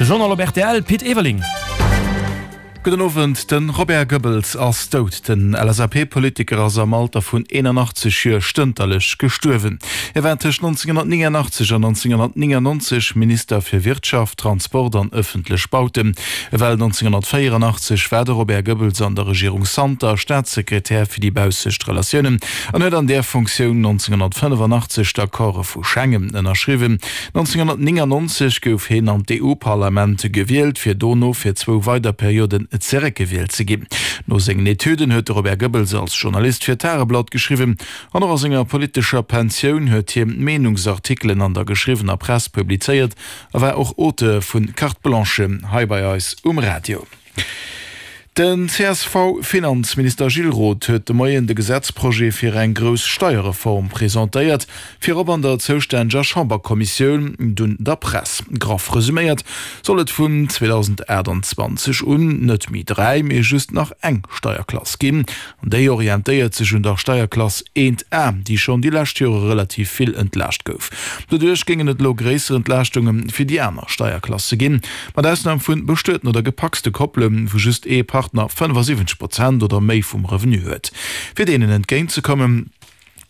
De Journal op rtl, Pit Everling. Gudden Owend, De Robert Goebbels ass dout. Den LSAP-Politiker ass am Alter vun 81 Joer stënterlech gestuerwen. Hie war tëscht 1989 an 1999 Minister fir Wirtschaft, Transport an ëffentlech Bauten. Ewell 1984 war de Robert Goebbels an der Regierung Santer Staatssekretär fir déi baussecht Relatiounen an huet an där Funktioun 1985 d'Accorde vu Schengen ënnerschriwwen. 1999 gouf heen an d'EU-Parlament gewielt, fir dono fir zwou weider Perioden zeréckgewielt ze ginn. No sengen Etüden huet de Robert Goebbels als Journalist fir d'Tageblatt geschriwwen an och a senger politescher Pensioun huet hie Meenungsartikelen an der geschriwwener Press publizéiert a war och Auteur vu Carte Blanche hei bei eis um Radio. Den CSV-Finanzminister Gilles Roth huet de Moien de Gesetzprojet fir eng grouss Steierreform presentéiert, virop an der zoustänneger Chamberkommissioun, dunn der Press. Graff resuméiert soll et vun 2028 un net méi 3, mee just nach eng Steierklass ginn. An déi orientéiert sech un der Steierklass 1 A, déi schonn déi lescht Jore relativ vill entlaascht gouf. Doduerch géingen et elo gréisser Entlaaschtunge fir déi aner Steierklasse ginn, mat Ausnam vu bestueten oder gepacste Koppele wou just ee Partner 75 Prozent oder méi vum Revenu huet. Fir deenen entgéintzekommen,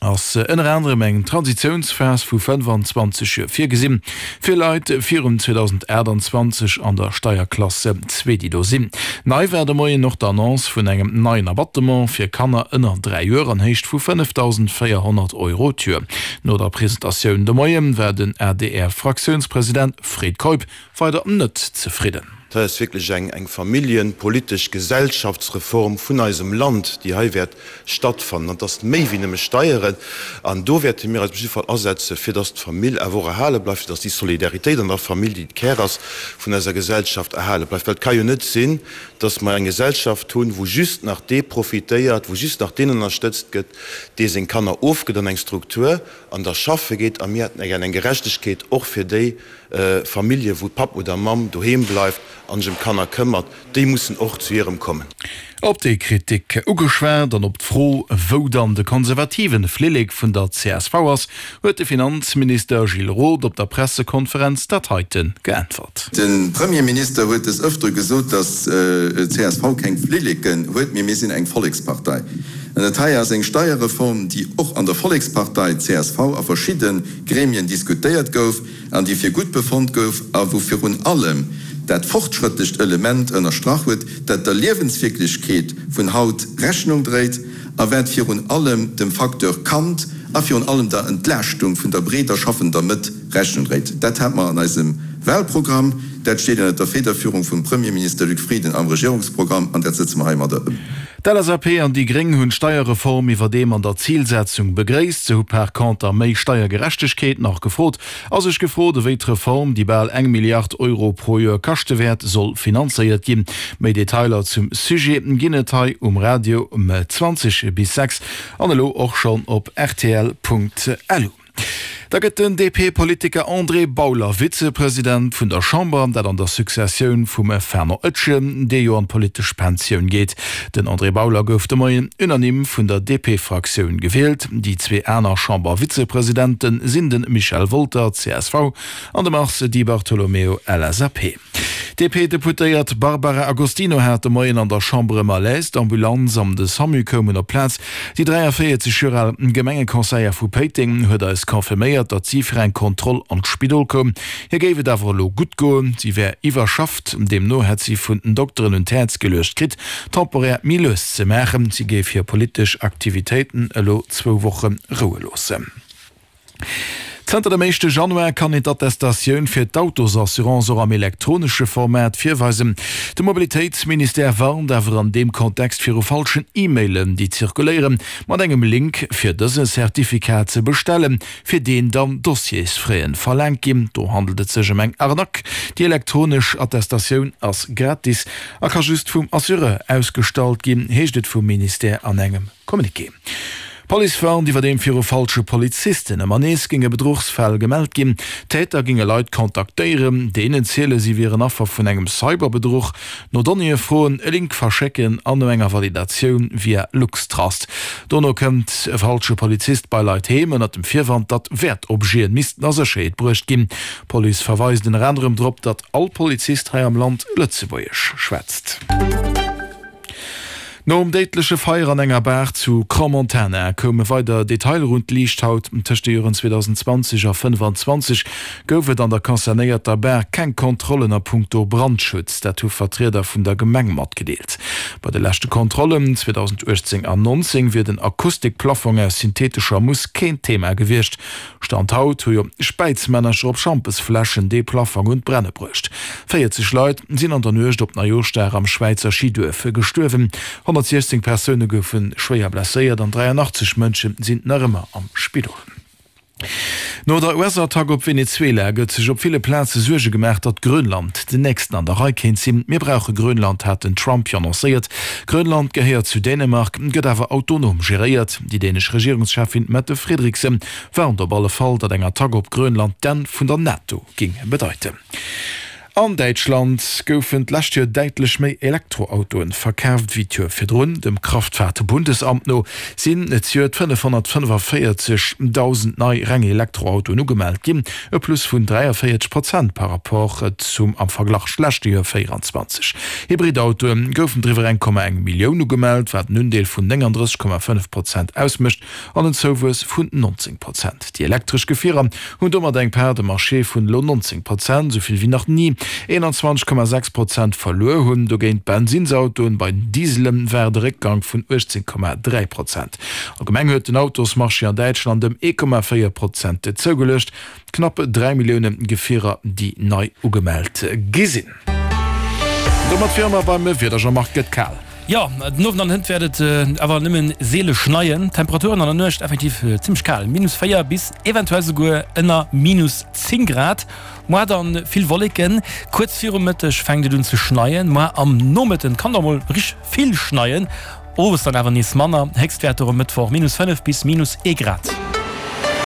ass ënner anerem eng Transitiounsphas vu 25 Joer virgesinn, fir Leit virun 2028 an der Steierklasse 2, déi do sinn. Nei war de Moien och d'Annonce vun engem neien Abattement fir Kanner ënner 3 Joer an Héicht vu 5.400 Euro d'Joer. No der Presentatioun de Moie war den ADR-Fraktiounspresident Fred Keup weider net zefridden. Dat ass wierklech eng eng familljenpolitesch Gesellschaftsreform vun eisem Land, déi hei wäert stattfannen. An et ass méi wéi nëmme Steieren. An do wäerte mir eis op jidde Fall asetzen, fir dass d'Famill awer och erhale bleift, fir dass déi Solidaritéit an der Famill, déi de Kär ass vun eiser Gesellschaft, erhale bleift. Well et ka jo net sinn, dass mer eng Gesellschaft hunn, wou just nach dee profitéiert, wou just nach deen ënnerstëtzt gëtt, dee seng Kanner ofgëtt an eng Struktur an da schaffe geet. A mir hätten gär eng Gerechtegkeet och fir déi, Famillje wou Papp oder Mamm doheem bleift an sech ëm d'Kanner këmmert, déi mussen och zu hirem kommen. Op déi Kritik ugeschwat an op d'Fro, wou dann de konservativen Flillek vun der csv ass, huet de Finanzminister Gilles Roth op der Pressekonferenz dat heite geäntwert. De Premierminister huet des Ëftere gesot, datt d'CSV keng Flilleken huet, mee mir sinn eng Vollekspartei. An dat hei ass eng Steierreform, déi och an der Vollekspartei csv a verschidde Gremien diskutéiert gouf. an déi fir gutt befonnt gouf a wou virun allem dat fortschrëttlecht Element ënnerstrach huet, dat der Liewenswierklechkeet vun haut Rechnung dréit a wat virun allem dem Facteur Kand a virun allem der Entlaaschtung vun der breeder schaffender Mëtt Rechnung dréit. Dat hat mer an eisem Wahlprogramm, dat steet ënnert der Federführung vum Premierminister Luc Frieden am Regierungsprogramm an dat sëtze mer heimadder ëm. D'LSAP an déi Gréng hunn d'Steierreform iwwerdeem an der Zilsetzung begréisst. Se hu par conter méi Steiergerechtegkeet nach gefrot a sech gefrot, ewéi d'Reform, déi bal eng Milliard Euro pro Joer kaschte wäert, soll finanzéiert ginn. Méi Detailer zum Sujet ginn et hei um Radio um 20 bis 6 an elo och schonn op rtl.lu. Da gëtt den DP-Politiker André Bauler Vizepresident vun der Chamber, dat an der Successioun vum Fernand Etgen, dee jo an d'politesch Pensioun geet. Den André Bauler gouf de Moien unanime vun der DP-Fraktioun gewielt. Déi zwee aner Chamber-Vizepresidente sinn de Michel Wolter, csv, an de Mars Di Bartolomeo, LSAP. D'DP-Deputéiert Barbara Agostino hat de Moien an der Chamber e Malaise. D'Ambulanz an de Samu koumen op d'Plaz. Déi 43 Joer al Gemengeconseillère vu Péiteng huet eis confirméiert, datt si fir eng Kontroll an d'Spidol koum. Hir géif et awer elo gutt goen, si wär iwwerschafft. Deemno hätt si vun den Dokteren un d'Häerz geluecht kritt, temporär méi lues ze maachen. Si géif hir politesch Aktivitéiten elo zwou Woche roue loossen. Zënter dem éischte Januar kann een d'Attestatioun fir d'Autosassurance och am elektronesche Format virweisen. De Mobilitéitsministère warnt awer an deem Kontext viru falschen E-Mailen, déi zirkuléieren, mat engem Link fir dëse Certificat ze bestellen, fir deen dann Dossiersfraien verlaangt ginn. Do handelt et sech ëm eng Arnaque. Déi elektronesch Attestatioun ass gratis a ka just vum Assureur ausgestallt ginn, heescht et vum Ministère an engem Communiqué. D'Police warnt iwwerdeem viru falsche Polizisten. Ëmmer nees géinge Bedruchsfäll gemellt ginn. D'Täter géinge Leit kontaktéieren, deenen ziele si wieren Affer vun engem Cyberbedruch, no Donnéeë froen, e Link verschécken an no enger Validatioun via Luxtrust. Dono kënnt e falsche Polizist bei Leit heem, ënnert dem Virwand, datt Wäertobjeten missten a Sécherheet bruecht ginn. D'Police verweist ënner anerem drop, datt all Polizist hei am Land Lëtzebuergesch schwätzt. Nom déidleche Feier an enger Bar zu Crans-Montana koume weider Detailer un d'Liicht haut. Tëscht de Joren 2020 a 25 gouf et an der concernéierter Bar keng Kontrollen a puncto Brandschutz. Dat hu Vertrieder vun der Gemeng matgedeelt. Bei de leschte Kontrollen 2018 an 19 wier den Akustikplaffong aus synthetescher Mousse keen Thema gewiescht. Stand haut hu jo Späizmännercher op Schampesfläschen dee Plaffong un d'Brenne bruecht. 40 Leit sinn an der Nuecht op Neijooschdag am Schwäizer Schiduerf gestuerwen, 116 Persoune goufe schwéier blesséiert an 83 Mënsche sinn nach ëmmer am Spidol. No der US-Attack op Venezuela gëtt sech op ville Plaze Suerge gemaach, datt Grönland den nächsten an der Rei kéint sinn. Mir brauche Grönland, hat den Trump jo annoncéiert. Grönland gehéiert zu Dänemark, gëtt awer autonom geréiert. Déi dänesch Regierungscheffin Mette Frederiksen warnt op alle Fall, datt eng Attack op Grönland d'Enn vun der NATO géing bedeiten. An Däitschland goufen d'lescht Joer däitlech méi Elektroautoen verkaaft wéi d'Joer virdrun. Dem Kraftfahrtbundesamt no sinn zejoert 545.000 nei reng Elektroautoen ugemellt ginn, e Plus vun 43 Prozent par Rapport zum am Verglach leschte Joer 24. Hybridautoe goufen driwwer 1,1 Millioun ugemellt, wat en Undeel vun 39,5 Prozent ausmécht. an en Zouwuess vun 19 Prozent. Déi elektresch Gefierer hunn domat eng Part de marché vun elo 19 Prozent, esou vill wéi nach ni. 21,6 Prozent verluer hunn dogéint d'Bensinnsautoen, bei den Diesele war et e Réckgang vun 18,3 Prozent. Allgemeng huet den Autosmarché an Däitschland ëm 1,4 Prozent zougeluecht. Knapp 3 Millioune Gefierer, déi nei ugemellt gi sinn. Domat wiere mer beim Wieder, Jean-Marc, Gëtt kal. Jo, den Owend an hënt wäert et awer nëmme seele schneien. Temperaturen an der Nuecht effektiv zimmlech kal, minus 4 bis eventuell souguer ënner minus 10 Grad. Moar dann vill Wolleken, kuerz virum Mëtteg fänkt et un ze schneien. Moar am Nomëtten kann da mol richteg vill schneien, owes dann awer nees manner. Héchstwäerter um Mëttwoch minus 5 bis minus 1 Grad.